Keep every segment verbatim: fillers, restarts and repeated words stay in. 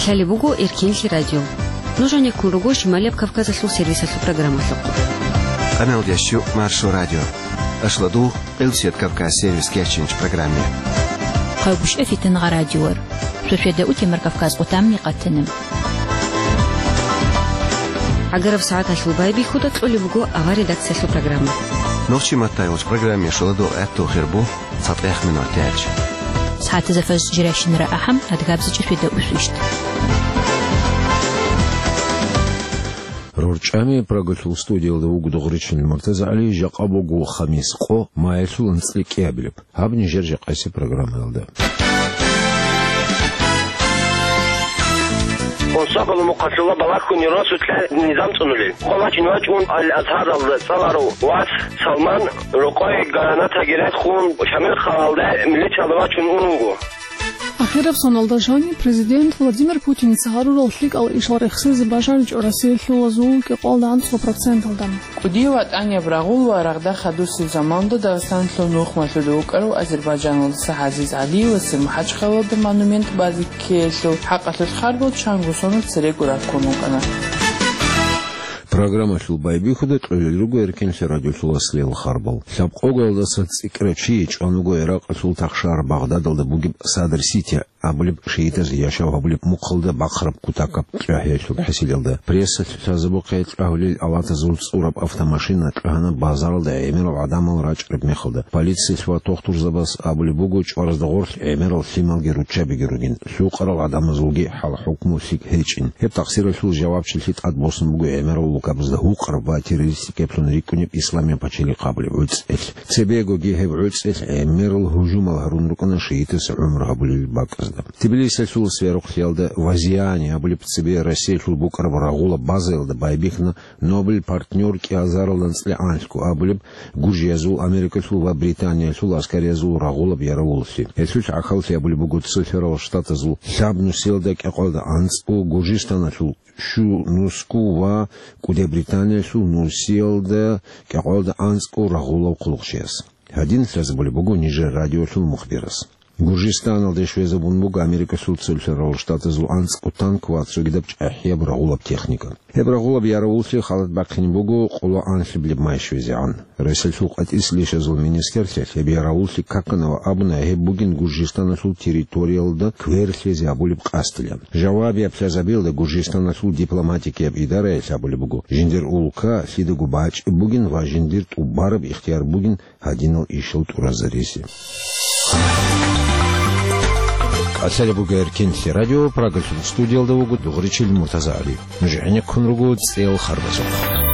Лъалеб буго Эркенлъи радио. Нуж гьанеккун руго Шималияб Кавказалъул сервисалъул программалъухъ. Къамел дящу Маршо радио. Ашладу Къилсият Кавказ сервис кечинч программе. Хъайгушев Фитангъа радиор. Швешведа утемар Кавказ къутамни къатана. ГӀагараб сагӀаталъул байбихьуда кьолеб буго авар редакциялъул программа. Нохчи матайулч программе шоладо гӀатту хирбу. ЦатӀех минут тяч. СагӀатазда фажр жирайщинара ахӀам, адгабзичӀеб фида усвищ. РорчӀами Прагалъул студиялда вуго Дугъричил МуртазагӀали, жакъа буго хамис къо, маялъул анцӀила кӀиабилеб. Гьаб нижер жакъасеб программаялда. Гьосабала мухъалъула балагьун росулъа низам цӀунулел. Къоло чин вачӀун Ал-Азгьаралда цӀаларав вас Салман рокъой гранатаги рехун, Шамил хъалалда милициялда вачун ун вуго. Ахираб соналда жаниб президент Владимир Путиница гьарурал лъикӀал ишал рехсезе бажаричӀо Россиялъулазул кӀикъоялда анцӀго проценталда. КӀудияв ватӀанияб рагъул ва рагъда хадусеб заманалда Дагъистаналъул нухмалъуда вукӀарав азербайджаналдаса ГӀазиз ГӀалиевасе МахӀачхъалалда монумент базе ккеялъул хӀакъалъулъ харбал чанго сонал церего раккун вукӀана. Программалъул байбихьуда кьолел руго Эркенлъи радиолъул аслиял харбал. Лъабкъогоялдаса цӀикӀкӀарав чи чӀван вуго Иракъалъул тахшар Багъдадалда бугеб Садр-Сити абулеб шагьидаз яшав гьабулеб мухъалда бахъараб кутакаб кьагьиялъул хӀасилалда. Прессалъ лъазабухъе кьагьулел алатазул цӀураб автомашина кьагьана базаралда гӀемерал гӀадамал рачӀараб мехалда. Полициялъ ва тухтурзабаз абулеб буго, чӀваразда гъорлъ гӀемерал лъималги руччабиги ругин, лъукъарал гӀадамазулги хӀал-хӀукму лъикӀ гьечӀин. Гьеб тахсиралъул жавабчилъи тӀад босун буго гӀемерал лукабазда гьукъараб ва террористикаблъун рикӀкӀунеб Исламияб пачалихъ абулеб гӀуцӀелъ. Цебегоги гьеб гӀуцӀелъ гӀемерал гьужумал гьарун рукӀана шагьидас гӀумру гьабулел бакӀазда. Тбилисиялъул сверухълъиялда Вазиани абулеб цебе Россиялъул букӀараб рагъулаб базаялда байбихьана Нобель партнёр кӀиазарал анцӀила анлъго абулеб гуржиязул, Америкалъул ва Британиялъул аскариязул рагъулаб яравуллъи. Гьелъул гӀахьаллъи абулеб буго цоферал штатазул лъабнусиялда кӀикъоялда анцӀго, Гуржистаналъул щунусго ва КӀуди Британиялъул нусиялда кӀикъоялда анцӀго рагъулав хъулухъчияс. Гьадин лъазабулеб буго нижер радиолъул мухбирас. Гуржистаналде щвезабун буго Америкалъул Цоферал Штатазул анцӀго танк ва цогидаб чӀахӀияб рагъулаб техника. Гьеб рагъулаб яравуллъи халат бахъине буго къоло анлъабилеб май щвезегӀан. Россиялъул къватӀиса лъишазул министрлъиялъ гьеб яравуллъи какана ва абуна, гьеб бугин Гуржистаналъул территориялда квер лъезе гьабулеб къасдилан. Жавабияб лъазабиялда Гуржистаналъул дипломатикияб идараялъ абулеб буго, жиндир улка лъидаго бачӀеб бугин ва жиндир тӀубараб ихтияр бугин гьадинал ишал тӀуразаризе. КӀалъалеб буго Эркенлъи радио, Прагалъул студиялда вуго Дугъричил МуртазагӀали. Нуж гӀенеккун руго цӀел харбазухъ.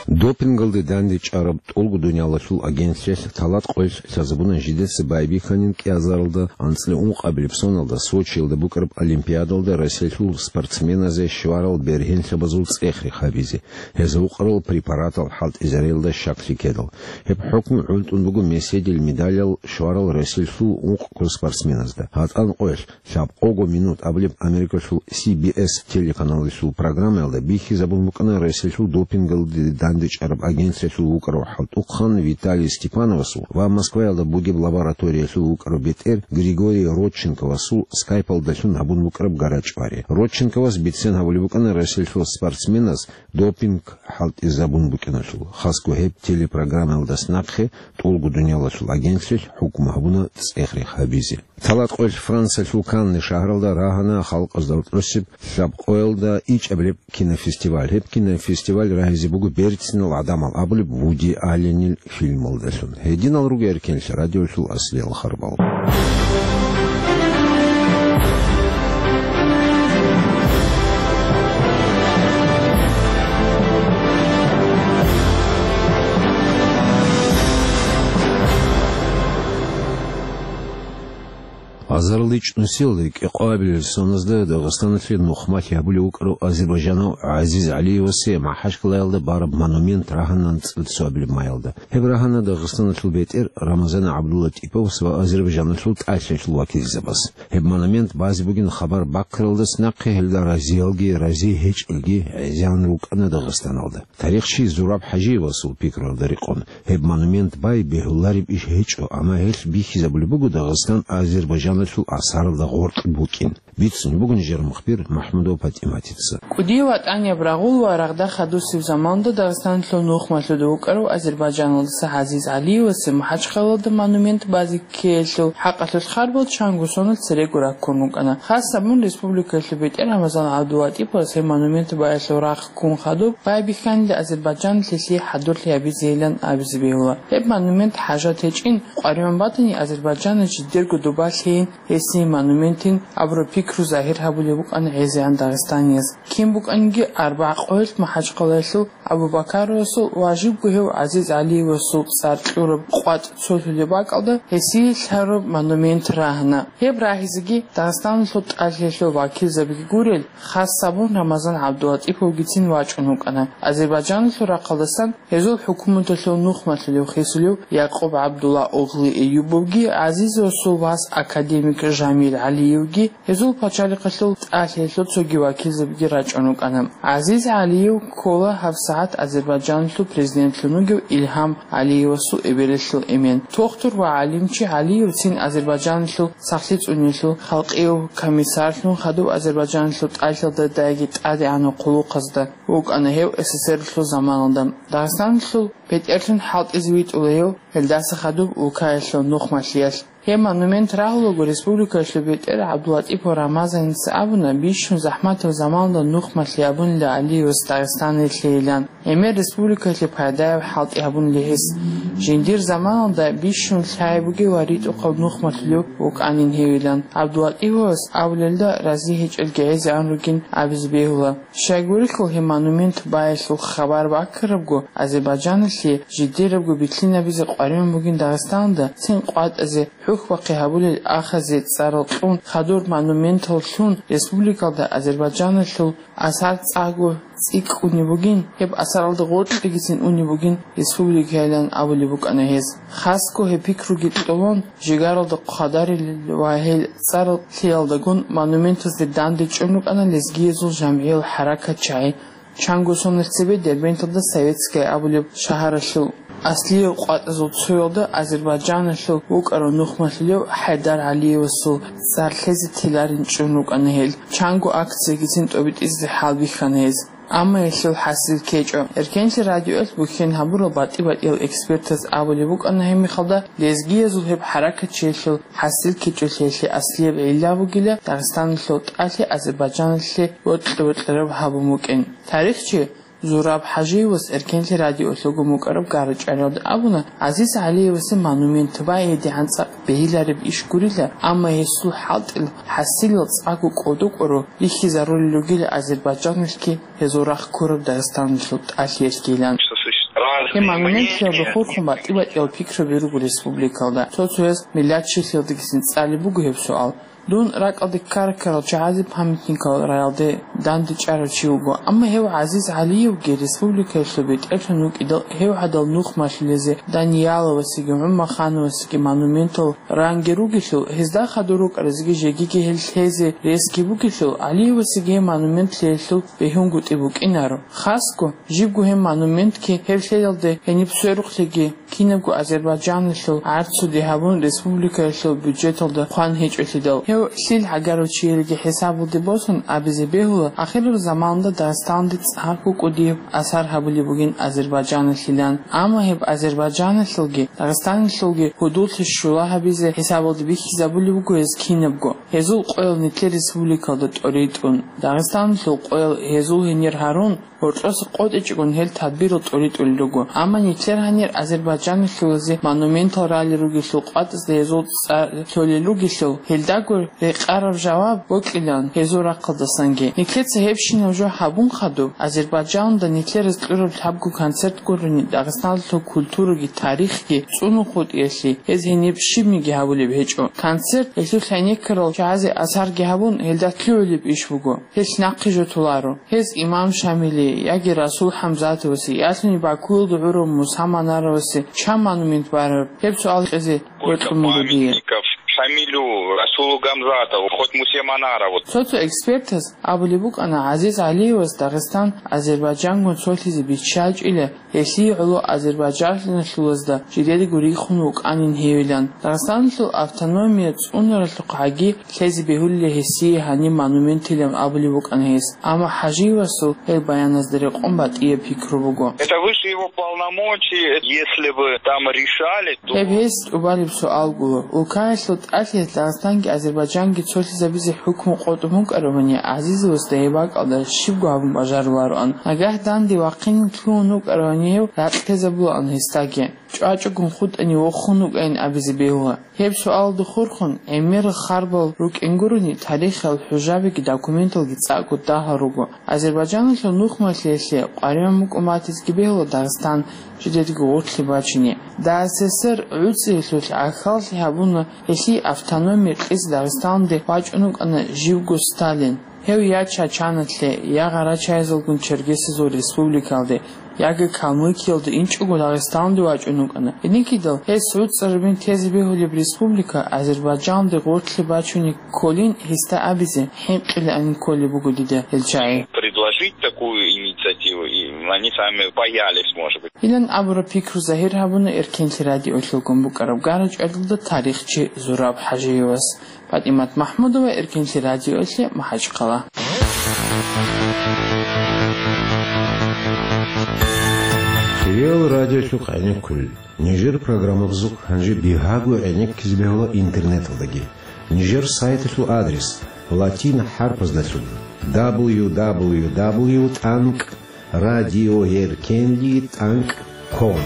Допингалде дандечӀараб ТӀолго дуниялалъул агентлъиялъ талат къоялъ лъазабуна жидеца байбихьанин кӀиазаралда анцӀила ункъабилеб соналда Сочиялда букӀараб Олимпиадалда Россиялъул спортсменазе щварал бергьенлъабазул цӀех-рех гьабизе. Гьезда укъарал препаратал хӀалтӀизариялда щаклъи ккедал. Гьеб хӀукму гӀунтӀун буго меседил медалял щварал Россиялъул ункъго спортсменазда. ГьатӀан къоялъ лъабкъого минут абулеб Америкалъул Си Би Эс телеканалалъул программаялда бихьизабун букӀана Россиялъул допингалде дандечӀараб агентлъиялъул вукӀарав хӀалтӀухъан Виталий Степановасул ва Москваялда бугеб лабораториялъул вукӀарав бетӀер Григорий Родченковасул скайпалдалъун гьабун букӀараб гара-чӀвари. Родченковас бицен гьабулеб букӀана Россиялъул спортсменаз допинг хӀалтӀизабун букӀиналъул. Хасго гьеб телепрограммаялдас нахъе ТӀолго дуниялалъул агентлъиялъ хӀукму гьабуна цӀех-рех гьабизе. Талат къоялъ Франциялъул Канне шагьаралда рагьана халкъазда рокьосеб лъабкъоялда ичӀабилеб кинофестиваль. Гьеб кинофестиваль рагьизе буго берцинал гӀадамал абулеб Вуди Алленил фильмалдалъун. Гьединал руго Эркенлъи радиолъул аслиял харбал. Азарилан ичӀнусиялда кӀикъоабилел соназда Дагъистаналъе нухмалъи гьабулев вукӀарав азербайджанав ГӀазиз ГӀалиевасе МахӀачкъалаялда бараб монумент рагьана анцӀила цоабилеб маялда. Гьеб рагьана Дагъистаналъул бетӀер Рамазан ГӀабдуллатӀиповас ва Азербайджаналъул тӀалъиялъул вакилзабаз. Гьеб монумент базе бугин хабар бахъаралдас нахъе гьелда разиялги, рази гьечӀелги гӀезегӀан рукӀана Дагъистаналда. Тарихчи Зураб ХӀажиевасул пикруялда рекъон, гьеб монумент бай бегьулареб иш гьечӀо, амма гьелъ бихьизабулеб буго Дагъистан Азербайджаналъ Азербайджаналъул асаралда гъоркь букӀин. Бицун бугин жер мухбир МахӀмудов ПатӀиматица. КӀудияв ватӀанияб рагъул ва рагъда хадусеб заманда Дагъистаналъул нухмалъуда вукӀарав азербайджаналдаса ГӀазиз ГӀалиевасе МахӀачхъалалда монумент базе ккеялъул хӀакъалъулъ харбал чанго соналъ церего раккун рукӀана. Хас гьабун, республикалъул бетӀер Рамазан ГӀабдулатӀиповас гьеб монумент баялъул рахъ ккун хадуб, байбихьанила Азербайджаналъе лъие хӀадурлъи гьабизейилан абизе бегьула. Гьеб монумент хӀажат гьечӀин, къваригӀун батани, Азербайджаналъ жидерго доба лъейин, гьесие монументин абураб пикру загьир гьабулеб букӀана гӀезегӀан дагъистанияз. Кин букӀаниги, арбагӀ къоялъ МахӀачхъалаялъул Абу-Бакаровасул ва жибго гьев ГӀазиз ГӀалиевасул цӀар кьураб къватӀ цолъулеб бакӀалда гьесие лъараб монумент рагьана. Гьеб рагьизеги Дагъистаналъул тӀалъиялъул вакилзабиги гурел, хас гьабун Рамазан ГӀабдулатӀиповгицин вачӀун вукӀана. Азербайджаналъул рахъалдасан гьезул хӀукуматалъул нухмалъулев хисулев Якъуб ГӀабдулла оглы Эюбовги ГӀазизасул вас академик Жамил ГӀалиевги гьезул пачалихъалъул тӀалъиялъул цоги вакилзабиги рачӀун рукӀана. ГӀазиз ГӀалиев ккола гьабсагӀат Азербайджаналъул президентлъун вугев Илгьам ГӀалиевасул эбелалъул эмен. Тухтур ва гӀалимчи ГӀалиевцин Азербайджаналъул сахлъи цӀуниялъул халкъияв комиссарлъун хадуб Азербайджаналъул тӀалъиялда дайги тӀадегӀанав хъулухъазда вукӀана гьев СССР-лъул заманалда. Дагъистаналъул бетӀерлъун хӀалтӀизе витӀула гьев гьелдаса хадуб улкаялъул нухмалъиялъ. Гьеб монумент рагьулаго республикалъул бетӀер ГӀабдулатӀипов Рамазаница абуна, бищун захӀматаб заманалда нухмалъи гьабунила ГӀалиевас Дагъистаналъейилан, гӀемер республикалъе пайдаяб хӀалтӀи гьабунила гьес. Жиндир заманалда бищун лъай бугев ва ритӀухъав нухмалъулев вукӀанин гьевилан. ГӀабдулатӀиповас абулелда рази гьечӀелги гӀезегӀан ругин абизе бегьула. Щайгурелъул гьеб монумент баялъул хабар баккарабго, Азербайджаналъе жидерабго битлъинабизе къваригӀун бугин Дагъистаналда цин къватӀазе, хӀухьбахъи гьабулел ахазе цӀарал кьун, хадур монументал лъун, республикалда Азербайджаналъул асар цӀакъго цӀикӀкӀунеб бугин, гьеб асаралда гъоркьегицин унеб бугин республикайилан абулеб букӀана гьез. Хасго гьеб пикруги кьолон, жигаралда хъвадарилел ва гьел цӀарал лъиялдагун монументазде дандечӀун рукӀана лезгиязул жамгӀиял хӀаракатчагӀи. Чанго соналъ цебе Дербенталда Советская абулеб шагьаралъул аслияб къватӀазул цоялда Азербайджаналъул вукӀарав нухмалъулев ХӀайдар ГӀалиевасул цӀар лъезе теларин чӀун рукӀана гьел. Чанго акциягицин тӀобитӀизе хӀалбихьана гьез. Амма гьелъул хӀасил ккечӀо. Эркенлъи радиоялъ бухьен гьабурал батӀи-батӀиял экспертаз абулеб букӀана гьеб мехалда, лезгиязул гьеб хӀаракатчиялъул хӀасил ккечӀолъиялъе аслияб гӀилла бугила Дагъистаналъул тӀалъи Азербайджаналъе бокьа-бокьараб гьабун букӀин. Тарихчи Зураб ХӀажиевас Эркенлъи радиоялъ гьугьу мукӀараб гара-чӀвариялда абуна, ГӀазиз ГӀалиевасе монумент бай гьедигӀан цӀакъ бегьилареб иш гурила, амма гьесул хӀалтӀил хӀасилал цӀакъго кӀодо-кӀоро бихьизарулел ругила Азербайджаналъги гьезул рахъ ккураб Дагъистаналъул тӀалъиялъгилан. Гьеб монументалда хурхун батӀи-батӀиял пикраби руго республикалда. Цо-цояз миллатчилъиялдагицин цӀалеб буго гьеб суал. Дун ракӀалде ккара-ккарал чагӀазе памятникал раялде дандечӀарав чи вуго, амма гьев ГӀазиз ГӀалиевги республикаялъул бетӀерлъун вукӀидал гьев гӀадал нухмалъулезе Данияловасеги ГӀумахановасеги монументал ранги ругелъул, гьезда хадур рукӀаразеги жегиги гьел лъезе ресги бугелъул, ГӀалиевасеги гьеб монумент лъеялъул бегьунгутӀи букӀинаро. Хасго, жибго гьеб монументги гьеб лъеялде гьениб сверухълъиги, кинабго Азербайджаналъул гӀарцуде гьабун, республикаялъул бюджеталда хъван гьечӀолъидал, гьев лъил гӀагарав чиялги хӀисабалде босун абизе бегьула, ахираб заманалда Дагъистаналде цӀакъго кӀудияб асар гьабулеб бугин Азербайджаналъилан. Амма гьеб Азербайджаналъулги Дагъистаналъулги гьудуллъи щула гьабизе хӀисабалде бихьизабулеб буго гьез кинабго. Гьезул къоял нилъер республикалда тӀоритӀун, Дагъистаналъул къоял гьезул гьенир гьарун, гьоркьоса къотӀичӀогун гьел тадбирал тӀоритӀулел руго. Амма нилъер гьанир Азербайджаналъулазе монументал ралел ругелъул къватӀазда гьезул цӀар лъолел ругелъул, гьелдаго рекъараб жаваб бокьилаан гьезул рахъалдасанги. Нилъеца гьебщинаб жо гьабун хадуб, Азербайджаналда нилъераз кьураб лъабго концерт гурони Дагъистаналъул культураги тарихги цӀунухъутӀиялъе гьез гьениб щибниги гьабулеб гьечӀо. Концерт гьелъул гӀенеккарал чагӀазе асарги гьабун, гьелда лъугӀулеб иш буго. Гьелъ нахъе жо толаро. Гьез имам Шамили яги Расул ХӀамзатовасе, ялъуни Бакуялда гӀурав Муса Манаровасе чан монумент бараб? Гьеб суал кьезе бокьун буго дие. Сколько памятников Шамилу, Расул Гамзатов, хоть Мусе Манаров. Цо-цо экспертаз абулеб букӀана ГӀазиз ГӀалиевас Дагъистан Азербайджангун цолъизе биччачӀила, гьелъие гӀоло азербайджанлъулазда жидедаго рихун вукӀанин гьевилан. Дагъистаналъул автономия цӀунаралъухъ гӀаги лъезе бегьулила гьесие гьаниб монументилан абулеб букӀана гьес. Амма ХӀажиевасул гьел баяназда рекъон батӀияб пикру буго. Это выше его полномочий, если бы там решали, то... Гьеб гьес тӀубалеб суал гуро. Улкаялъул тӀалъиялъ Дагъистанги Азербайджанги цолъизабизе хӀукму къотӀун букӀаравани, ГӀазизовасда гьеб бакӀалда щибго гьабун бажарулароан. Нагагь данде вахъинин лъугьун вукӀаравани гьев, ракьтезабулаан гьесдаги. ЧӀвачӀагун хутӀани вохун вукӀайин абизе бегьула. Гьеб суалалда хурхун, гӀемерал харбал рукӀин гурони, тарихал хӀужабиги документалги цӀакъго дагьал руго. Азербайджаналъул нухмалъиялъе къваригӀун букӀун батизеги бегьула Дагъистан жидедаго гъорлъе бачине. ДССР гӀуцӀиялъулъ гӀахьаллъи гьабуна гьелъие автономия кьезе Дагъистаналде вачӀун вукӀана живго Сталин. Гьев я Чачаналъе, я гъарачагӀазулгун Черкесазул республикалде, яги Калмыкиялда инчӀого Дагъистаналде вачӀун вукӀана. Гьединлъидал гьес гӀуцӀарабин тезе бегьулеб республика Азербайджаналде гъорлъе бачунеб кколин гьесда абизе хӀинкъилаанин кколеб буго дида гьел чагӀи. Предложить такую инициативу, и они сами боялись, может быть. Гьелъан абураб пикру загьир гьабуна Эркенлъи радиолъулгун букӀараб гара-чӀвалалда тарихчи Зураб ХӀажиевас. ПатӀимат МахӀмудова, Эркенлъи радиоялъе, МахӀачхъала. Хириял радиолъухъ гӀенеккулел. Нижер программабазухъ гьанже бигьаго гӀенеккизе бегьула интернеталдаги. Нижер сайталъул адрес латин хӀарпаздалъун: дабл ю дабл ю дабл ю тӀанкӀ радиоэркенлъи тӀанкӀ ком.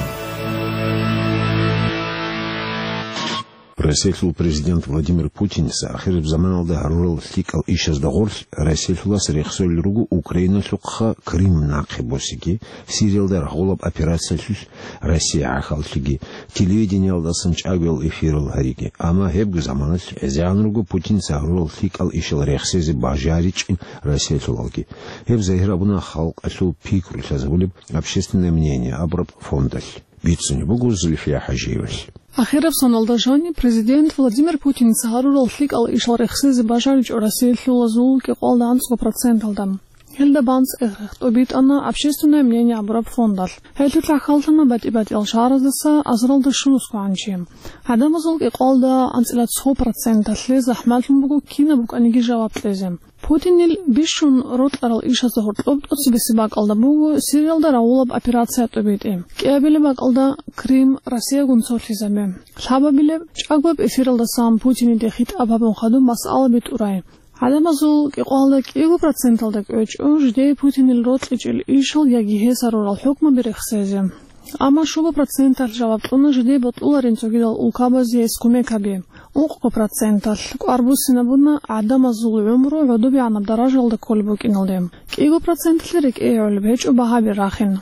Россиялъул президент Владимир Путиница ахираб заманалда гьарурал лъикӀал ишазда гъорлъ Россиялъулас рехсолел руго Украиналъухъа Крым нахъе босиги, Сириялда рагъулаб операциялъулъ Россия гӀахьаллъиги, телевидениялдасан чӀагоял эфирал гьариги. Амма гьебго заманалъ гӀезегӀан руго Путиница гьарурал лъикӀал ишал рехсезе бажаричӀин Россиялъулалги. Гьеб загьир абуна халкъалъул пикру лъазабулеб «Общественное мнение» абураб фондалъ. Бицунеб буго Зульфия ХӀажиевалъ. Ахираб соналда жаниб президент Владимир Путиница гьарурал лъикӀал ишал рехсезе бажаричӀо Россиялъулазул кӀикъоялда анцӀго проценталда. Гьелда банцӀ-эхех тӀубитӀана «Общественное мнение» абураб фондалъ. Гьелъул гӀахьаллъана батӀи-батӀиял шагьараздаса азаралда щунусго гӀанчи. ГӀадамазул кӀикъоялда анцӀила цо проценталъе захӀмалъун буго кинаб букӀаниги жаваб кьезе. Путинил бищун рокьарал ишазда гьоркьоб тӀоцебесеб бакӀалда буго Сириялда рагъулаб операция тӀубитӀи. КӀиабилеб бакӀалда Крым Россиягун цолъизабе. Лъабабилеб, чӀагояб эфиралдасан Путиниде хитӀаб гьабун хадуб масъала битӀурай. ГӀадамазул кӀикъоялда кӀиго проценталда кӀвечӀо жидее Путинил рокьичӀел ишал яги гьес гьарурал хӀукмаби рехсезе. Амма щуго проценталъ жаваб кьуна жидее бокьуларин цогидал улкабазе гьес кумек гьаби. Ункъго проценталъ кӀвар буссинабуна гӀадамазул гӀумру гӀодобегӀанаб даражаялда кколеб букӀиналде. КӀиго проценталъе рекӀее гӀолеб гьечӀо багьаби рахин.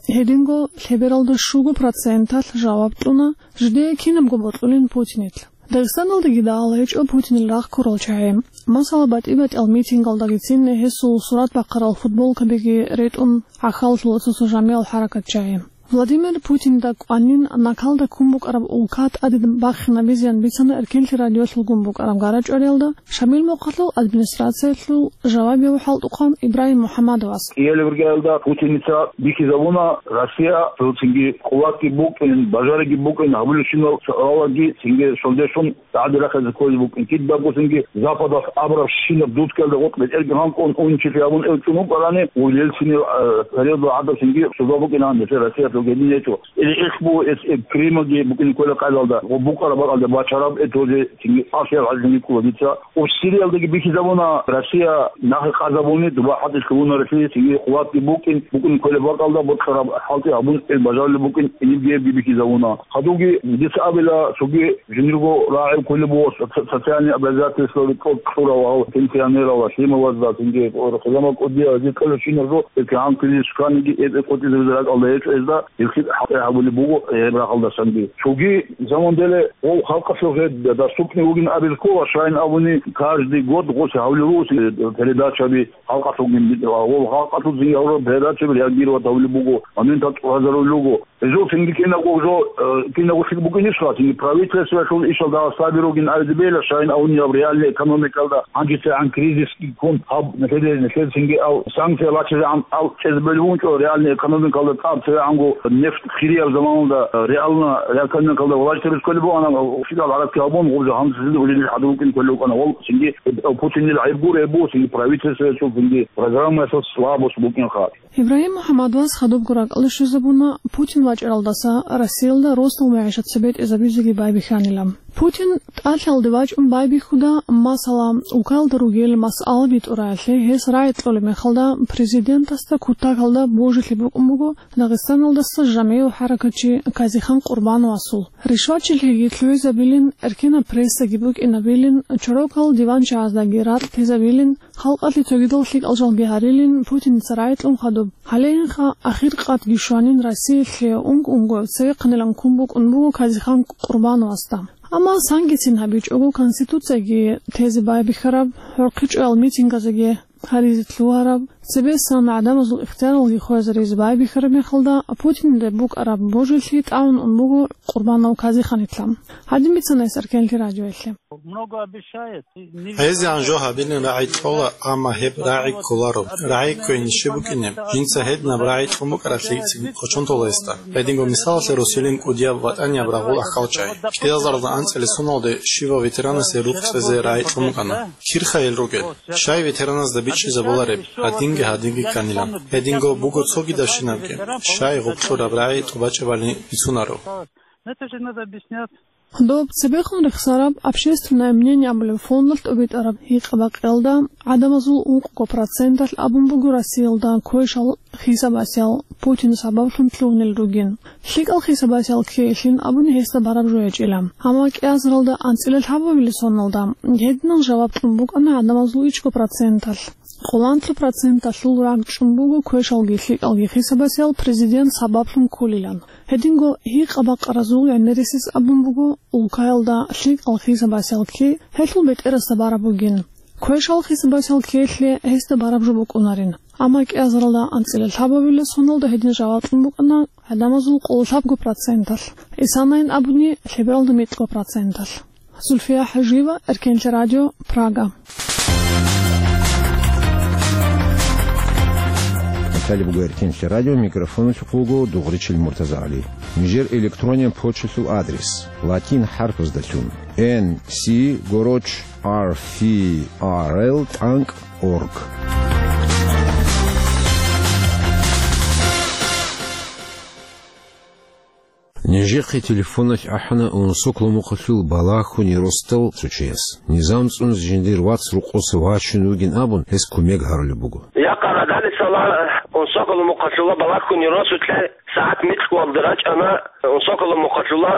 Гьединго лъебералда щуго проценталъ жаваб кьуна жидее кинабго бокьулин Путинил. Дагъистаналдаги дагьал гьечӀо Путинил рагъ ккурал чагӀи. Масала, батӀи-батӀиял митингалдагицин гьесул сурат бахъарал футболкабиги ретӀун гӀахьаллъула цо-цо жамигӀал хӀаракатчагӀи. Владимир Путинда кӀванин накалда ккун букӀараб улка тӀаде бахинабизеян бицана Эркенлъи радиолъулгун букӀараб гара-чӀвариялда Шамил мухъалъул администрациялъул жавабияв хӀалтӀухъан Ибрагьим МухӀаммадовас. КӀиялеб иргаялда Путиница бихьизабуна Россия, цинги къуватги букӀин, бажариги букӀин, гьабулебщинал суалалги цинги шалдешлъун ТӀаде рахъизе кколеб букӀин, кидабго цинги Западалъ абурабщинаб дудкаялда гъоркь бетӀерги гьанкӀун, унчилъи абун ил чӀун вукӀарани, ва Ельцинил, э, периодалда гӀадаб цинги суда букӀина гьанже Россиялъул гьедин гьечӀо. Или ихбу эс, э, Крымалги букӀине ккола къайдалда, ва букӀараб бакӀалда бачараб, э, тоже цинги ахиял гӀадин ккола дица. Ва Сириялдаги бихьизабуна Россия нахъе къазабуни, дуба хӀатӀилъ лъугьуна Россия, цинги къуватги букӀин, букӀине кколеб бакӀалда бокьараб хӀалтӀи гьабун, ил бажарулеб букӀин, инебги-гьебги бихьизабуна. Хадубги дица абила, цоги жиндирго рагӀи кколеб буго со-, со-, социальный обязательстваби кьо-, кьурав гьав пенсионерал, лъималазда, цинги хъизамал кӀудиял, гьезие кьолебщинаб жо, гьеб кигӀан кколеб щваниги, гьеб къотӀизабизе ракӀалда гьечӀо гьезда. Гьелъие хӀалтӀи гьабулеб буго гьеб рагъалдасанги. Цоги замандале гъов халкъалъул гьеб доступный вугин абил ккола, щайин абуни, каждый год гъосе гьавулел руго передачаби, халкъалъулгин, гъов халкъалъулзин гьавураб передачаби реагировать гьавулеб буго, моментал тӀуразарулел руго. Гьезул цинги кинабго жо, э, кинабго лъикӀ букӀинищха, цинги правительствоялъул ишал дагъа саби ругин абизе бегьила, щайин абунеб реальный экономикалда гьанжецайгӀан кризисги ккун, гьаб нилъеде, нилъеда цинги ал санкция бачизегӀан ал чӀезабулеб букӀинчӀо, реальный экономикалда тӀад цевегӀанго нефт хирияб заманалда, э, реально, реальный экономикалда власть рисколеб бугӀана, щибал гӀаракки гьабун, гъуб жо гьанжезе улилел хӀадур рукӀин кколев вукӀана. Вал цинги, э, Путинил гӀайиб гур гьеб буго, цинги правительствоялъул, цинги программаялъул слабость букӀинха. Ибрагьим МухӀаммадовас хадубго ракӀалде щвезабуна Путин вачӀаралдаса Россиялда росдал мегӀишат цебетӀезабизеги байбихьанила. Путин тӀалъалде вачӀун байбихьуда, масала, улкаялда ругел масъала битӀураялъе гьес рагӀи кьолеб мехалда, президентасда кутакалда божилъи букӀун буго Дагъистаналдаса жамигӀ хӀаракатчи Казихан Къурбановасул. Ришватчилъиги лъугӀизабилин, эркенаб прессаги букӀинабилин, чорокал диванчагӀаздаги ракь тезабилин, халкъалъе цогидал лъикӀал жалги гьарилин Путиница рагӀи кьун хадуб. Гьалейинха ахир къатги щванин Россиялъе унг-унгояв цевехъанилан ккун букӀун буго Казихан Къурбановасда. Амма сангицин гьабичӀого, Конституцияги тезе байбихьараб, гӀурхъи чӀваял митингазеги гьаризе лъугьараб, цебесан гӀадамазул ихтияралги хвезаризе байбихьараб мехалда, Путинилда букӀараб божилъи тӀамун ун буго Къурбанов Казиханилъа. Гьадин бицана гьес Аркенлъи радиоялъе. Много обещает. ГӀезегӀан жо гьабилин рагӀи кьола, амма гьеб рагӀи кколаро. РагӀи кквейин щиб букӀине, жинца гьединаб рагӀи кьун букӀаралъи цин кочон тола гьесда. Гьединго мисалалъе, Россиялъул кӀудияб ВатӀанияб рагъул ахӀалчӀай. КӀиазаралда анцӀила соналде щивав ветеранасе рукъ цӀезе рагӀи кьун букӀана. Кирха гьел ругел? Щай ветераназда бичӀчӀизабулареб, гьадинги гьадинги кканилан? Гьединго буго цогидабщинабги. Щай гъуб кьураб рагӀи тӀубачӀебали бицунаро? Это же надо объяснять. Доб цебехун рехсараб «Общественное мнение» абулеб фондалъ тӀубитӀараб гьикъа-бакъиялда гӀадамазул ункъго проценталъ абун буго Россиялда квешал хисабасел Путин сабаблъун лъугьунел ругин. ЛъикӀал хисабасел ккеялъин абуни гьесда бараб жо гьечӀила. Амма кӀиазаралда анцӀила лъабабилеб соналда гьединал жаваб кьун букӀана гӀадамазул ичӀго проценталъ. Къоланлъи проценталъул рагӀ чӀун буго квешалги лъикӀалги хисабасел президент сабаблъун кколилан. Гьединго гьикъа-бакъаразул гӀемерисез абун буго, улкаялда лъикӀал хисабасел ккей гьелъул бетӀерасда бараб бугин. Квешал хисабасел ккеялъе гьесда бараб жо букӀунарин. Амма кӀиазаралда анцӀила лъабабилеб соналда гьедин жаваб кьун букӀана гӀадамазул къоло лъабго проценталъ, исанайин абуни, лъебералда микьго проценталъ. Зульфия ХӀажиева, Эркенлъи радио, Прага. Натали буго Эркенлъи радио, микрофоналъухъ вуго Дугъричил МуртазагӀали. Нижер электронен почталъул адрес: латин хӀарпаздалъун, N C гороч R F R L тӀанкӀ org. Нижехъе телефоналъ ахӀана Унсоколо мухъалъул Балагьхьуни росдал цо чияс. Низам цӀунизе жиндир вац рокъоса вачун вугин абун, гьес кумек гьарулеб буго. Якъа радалисала Унсоколо мухъалъула Балагьхьуни росулъе сагӀат микьвалда рачӀана Унсоколо мухъалъула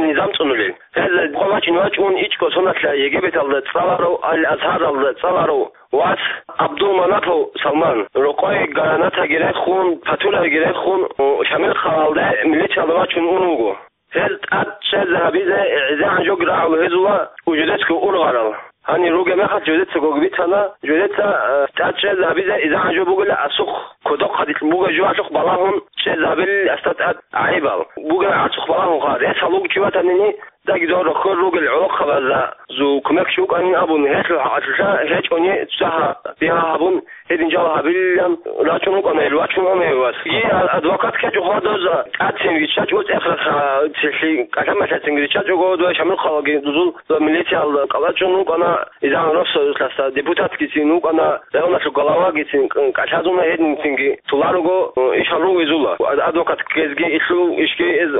низам цӀунулел. Гьез вачин вачун ичӀго соналъа Египеталда цӀаларав, Ал-Азгьаралда цӀаларав вас Абдулманапов Салман, рокъое гранатаги рехун, патулаги рехун, Шамил хъалалде милициялда вачун ун вуго. Гьез тӀад чӀезабизе гӀезегӀан жо рагӀул гьезула жидецаго ургъарал. Гьанир ругеб мехалъ жидецаго бицана, жидеца, э, тӀад чӀезабизе изегӀан жо бугила асухъ, кодоб хъадилъ бугеб жоялъухъ балагьун чӀезабилин гьесда тӀад гӀайибал. Бугеб гӀарцухъ балагьунха, рес гьалуг чи ватанини, Дагьдор рохьор ругел гӀолохъабазда зул кумекчи вукӀанин абун, гьелъул хӀакъалъулъа гьечӀони цӀа-, бигьа гьабун, гьедин жал гьабилилан рачун вукӀана гьел, вачун вукӀана гьев вас. Гьей а-, адвокат ккечӀо хадаза, тӀацин виччачӀо цӀехраха, цилъи кӀалъа-малъацин виччачӀого, дова Шамил хъалаги дузул, дова милициялда кӀалачӀун вукӀана, изан росулъаса депутатгицин вукӀана, районалъул главагицин, кӀалъазуна гьединцинги туларуго, ишал ругезула. Адвокат ккезги илъул ишги эз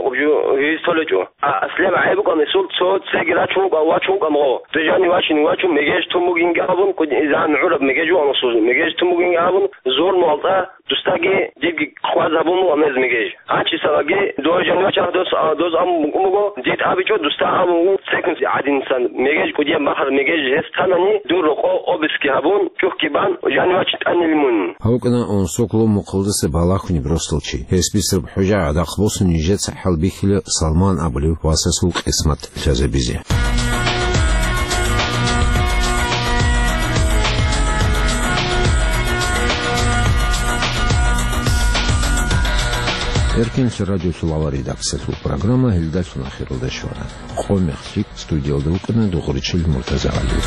гьез толечӀо. А, аслияб гӀайиб букӀана гьесул цо цеги рачун вукӀа-, вачун вукӀамгъо. Дижани вачин вачун мегеж тун бугинги абун, кӀудизан гӀураб мегеж вугӀун гьесул, мегеж тун бугинги абун, зурмалда Дусдаги дидги хъваз гьабун буго гьез мегеж. Гьанчисалаги дова жанивачагъ дос, а, доз абун буго, дид абичӀо, дусда абун буго, цекунси гӀадинсан мегеж, кӀудияб бахъал мегеж гьес танани, дур рокъо обыски гьабун, чӀухӀги бан, жанивач тӀанил мун. Гьав вукӀана Унсоколо мухъалдаса балагьунеб росдал чи. Гьес бицараб хӀужа гӀадахъ босун нижеца хӀалбихьила Салман абулев васасул къисмат лъазабизе. Эркенлъи радиолъул авар редакциялъул программа гьелдалъун ахиралда щвана. Къо мехлъи студиялда вукӀана Дугъричил МуртазагӀали.